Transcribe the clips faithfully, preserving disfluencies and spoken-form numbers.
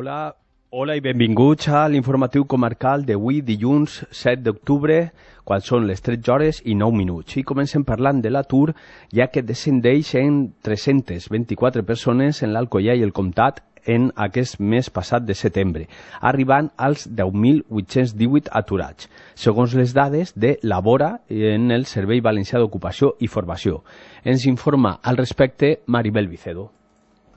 Hola, hola i benvinguts a l'informatiu comarcal d'avui, dilluns set d'octubre, quan són les tretze hores i nou minuts. I comencem parlant de l'atur, ja que descendeix en tres-centes vint-i-quatre persones en l'Alcoià i el Comtat en aquest mes passat de setembre, arribant als deu mil vuit-cents divuit aturats, segons les dades de Labora en el Servei Valencià d'Ocupació i Formació. Ens informa al respecte Maribel Vicedo.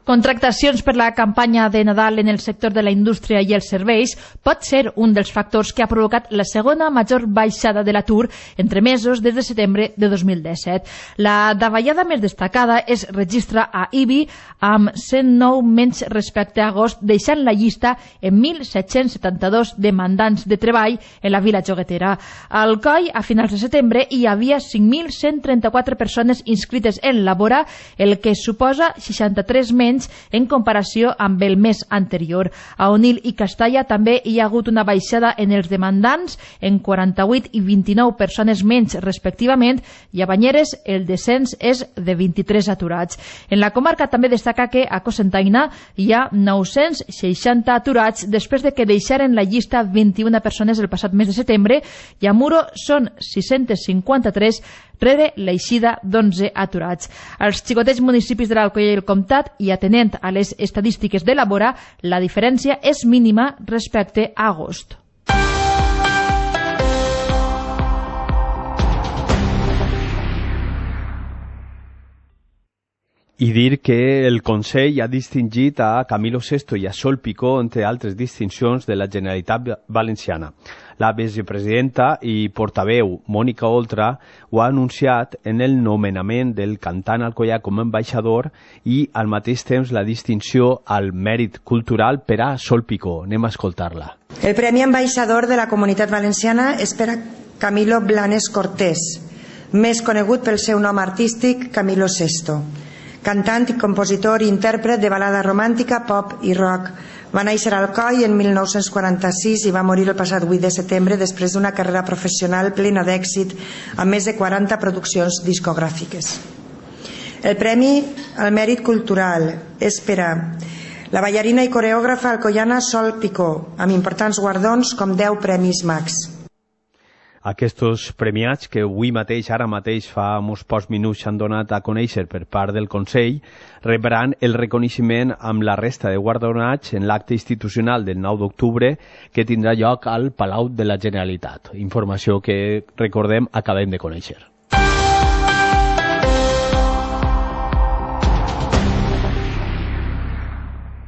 Contractacions per la campanya de Nadal en el sector de la indústria i els serveis pot ser un dels factors que ha provocat la segona major baixada de l'atur entre mesos des de setembre de dos mil disset. La davallada més destacada es registra a I B I amb cent nou menys respecte a agost, deixant la llista en mil set-cents setanta-dos demandants de treball en la vila joguetera. Al C O I, a finals de setembre, hi havia cinc mil cent trenta-quatre persones inscrites en Labora, el que suposa seixanta-tres menys en comparació amb el mes anterior. A Onil i Castalla també hi ha hagut una baixada en els demandants en quaranta-vuit i vint-i-nou persones menys respectivament, i a Banyeres el descens és de vint-i-tres aturats. En la comarca també destaca que a Cocentaina hi ha nou-cents seixanta aturats després de que deixaren la llista vint-i-una persones el passat mes de setembre, i a Muro són sis-cents cinquanta-tres rere l'eixida d'onze aturats. Als xicotets municipis de l'Alcoià i el Comtat, i atenent a les estadístiques de Labora, la diferència és mínima respecte a agost. I dir que el Consell ha distingit a Camilo Sesto i a Sol Picó, entre altres distincions de la Generalitat Valenciana. La vicepresidenta i portaveu Mònica Oltra ho ha anunciat en el nomenament del cantant alcoià com a ambaixador i al mateix temps la distinció al mèrit cultural per a Sol Picó. Anem a escoltar-la. El Premi Ambaixador de la Comunitat Valenciana és per a Camilo Blanes Cortés, més conegut pel seu nom artístic Camilo Sesto. Cantant i compositor i intèrpret de balada romàntica, pop i rock. Va néixer al C O I en mil nou-cents quaranta-sis i va morir el passat vuit de setembre després d'una carrera professional plena d'èxit amb més de quaranta produccions discogràfiques. El Premi al Mèrit Cultural és per a la ballarina i coreògrafa alcoiana Sol Picó, amb importants guardons com deu Premis Max. Aquests premiats, que avui mateix, ara mateix, fa uns pocs minuts s'han donat a conèixer per part del Consell, rebran el reconeixement amb la resta de guardonats en l'acte institucional del nou d'octubre que tindrà lloc al Palau de la Generalitat. Informació que, recordem, acabem de conèixer.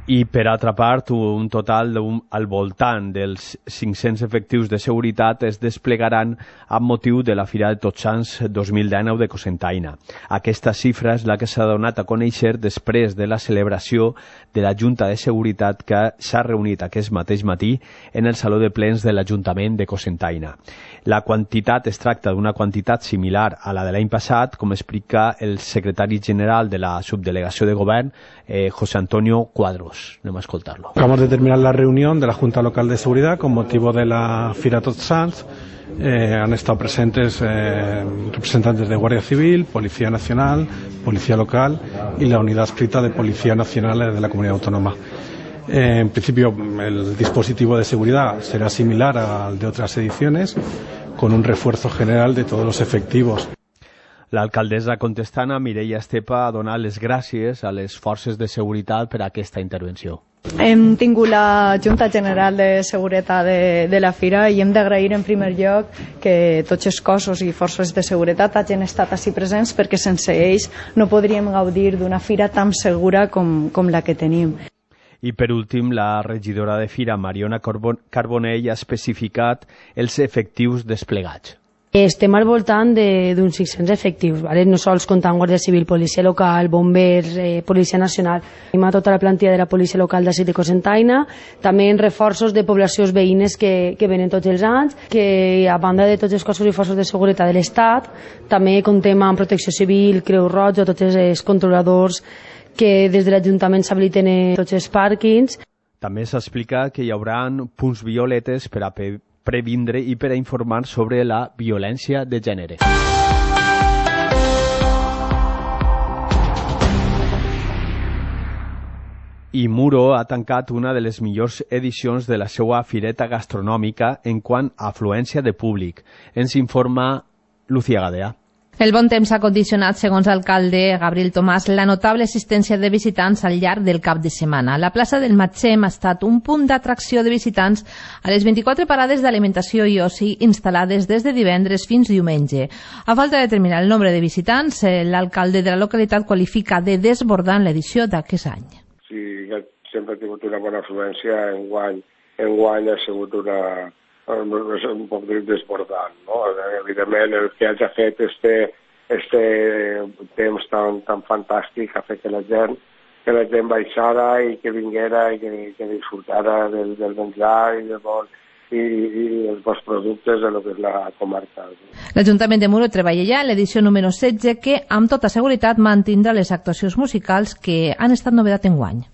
I per altra part, un total un, al voltant dels cinc-cents efectius de seguretat es desplegaran amb motiu de la Fira de Tots Sants dos mil dinou de Cocentaina. Aquesta xifra és la que s'ha donat a conèixer després de la celebració de la Junta de Seguretat que s'ha reunit aquest mateix matí en el Saló de Plens de l'Ajuntament de Cocentaina. La quantitat es tracta d'una quantitat similar a la de l'any passat, com explica el secretari general de la subdelegació de govern, eh, José Antonio Cuadros. Anem a escoltarlo. Acabamos de terminar la reunión de la Junta Local de Seguridad con motivo de la Fira Tots Sants. Eh, han estado presentes eh, representantes de Guardia Civil, Policía Nacional, Policía Local y la Unidad Adscrita de Policía Nacional de la Comunidad Autónoma. Eh, en principio, el dispositivo de seguridad será similar al de otras ediciones, con un refuerzo general de todos los efectivos. L'alcaldessa contestana, Mireia Estepa, ha donat les gràcies a les forces de seguretat per a aquesta intervenció. Hem tingut la Junta General de Seguretat de, de la Fira i hem d'agrair en primer lloc que tots els cossos i forces de seguretat hagin estat així presents, perquè sense ells no podríem gaudir d'una fira tan segura com, com la que tenim. I per últim, la regidora de Fira, Mariona Carbonell, ha especificat els efectius desplegats. Estem al voltant d'uns sis-cents efectius, ¿vale? No sols comptant Guàrdia Civil, Policia Local, Bombers, eh, Policia Nacional. Tenim a tota la plantilla de la Policia Local d'ací de Cocentaina, també en reforços de poblacions veïnes que, que venen tots els anys, que a banda de tots els cossos i forces de seguretat de l'Estat, també comptem amb Protecció Civil, Creu Roja, tots els controladors que des de l'Ajuntament s'habiliten tots els pàrquings. També s'explica que hi haurà punts violetes per a previndre i per a informar sobre la violència de gènere. I Muro ha tancat una de les millors edicions de la seva fireta gastronòmica en quant a afluència de públic. Ens informa Lucía Gadea. El bon temps ha condicionat, segons l'alcalde Gabriel Tomàs, la notable assistència de visitants al llarg del cap de setmana. La plaça del Matxem ha estat un punt d'atracció de visitants a les vint-i-quatre parades d'alimentació i oci instal·lades des de divendres fins diumenge. A falta de determinar el nombre de visitants, l'alcalde de la localitat qualifica de desbordant l'edició d'aquest any. Sí, sempre ha tingut una bona afluència, enguany, enguany ha sigut una... un poc desbordant, no? Evidentment, el que hagi fet este, este temps tan, tan fantàstic ha fet que la gent, que la gent baixara i que vinguera i que, que disfrutara del, del menjar i, de bon, i, i els bons productes de lo que és la comarca. L'Ajuntament de Muro treballa ja en l'edició número setze, que amb tota seguretat mantindrà les actuacions musicals que han estat novedat enguany.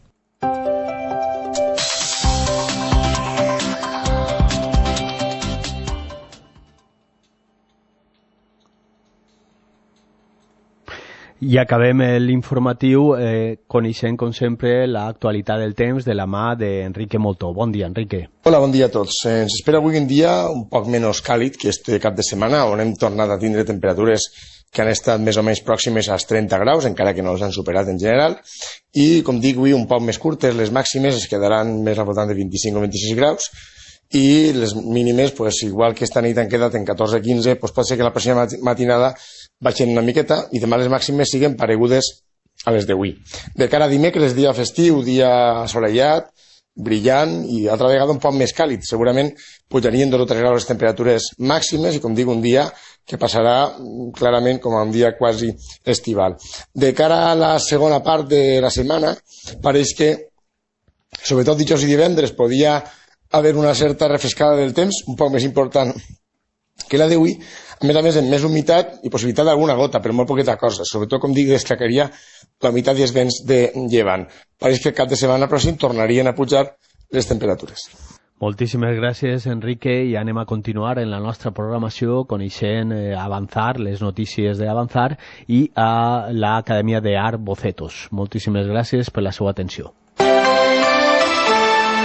I acabem l'informatiu eh, coneixent, com sempre, l'actualitat del temps de la mà d'Enrique Moltó. Bon dia, Enrique. Hola, bon dia a tots. Eh, ens espera avui un dia un poc menys càlid que este cap de setmana, on hem tornat a tindre temperatures que han estat més o menys pròximes als trenta graus, encara que no els han superat en general, i, com dic, avui un poc més curtes, les màximes es quedaran més al voltant de vint-i-cinc o vint-i-sis graus, i les mínimes, pues, igual que esta nit han quedat en catorze a quinze, pues, pot ser que la pròxima matinada baixen una miqueta i demà les màximes siguen paregudes a les d'avui. De cara a dimecres, dia festiu, dia assolellat, brillant i altra vegada un poc més càlid. Segurament pujarien dos o tres graus les temperatures màximes i, com dic, un dia que passarà clarament com a un dia quasi estival. De cara a la segona part de la setmana, pareix que, sobretot dijous i divendres, podia haver una certa refrescada del temps, un poc més important que la d'avui, a més a més amb més humitat i possibilitat d'alguna gota, però molt poqueta cosa. Sobretot, com dic, destacaria la humitat i els vents de llevant. Pareix que el cap de setmana pròxim tornarien a pujar les temperatures. Moltíssimes gràcies, Enrique, i anem a continuar en la nostra programació coneixent eh, Avanzar, les notícies d'Avanzar i a l'Acadèmia d'Art Bocetos. Moltíssimes gràcies per la seva atenció.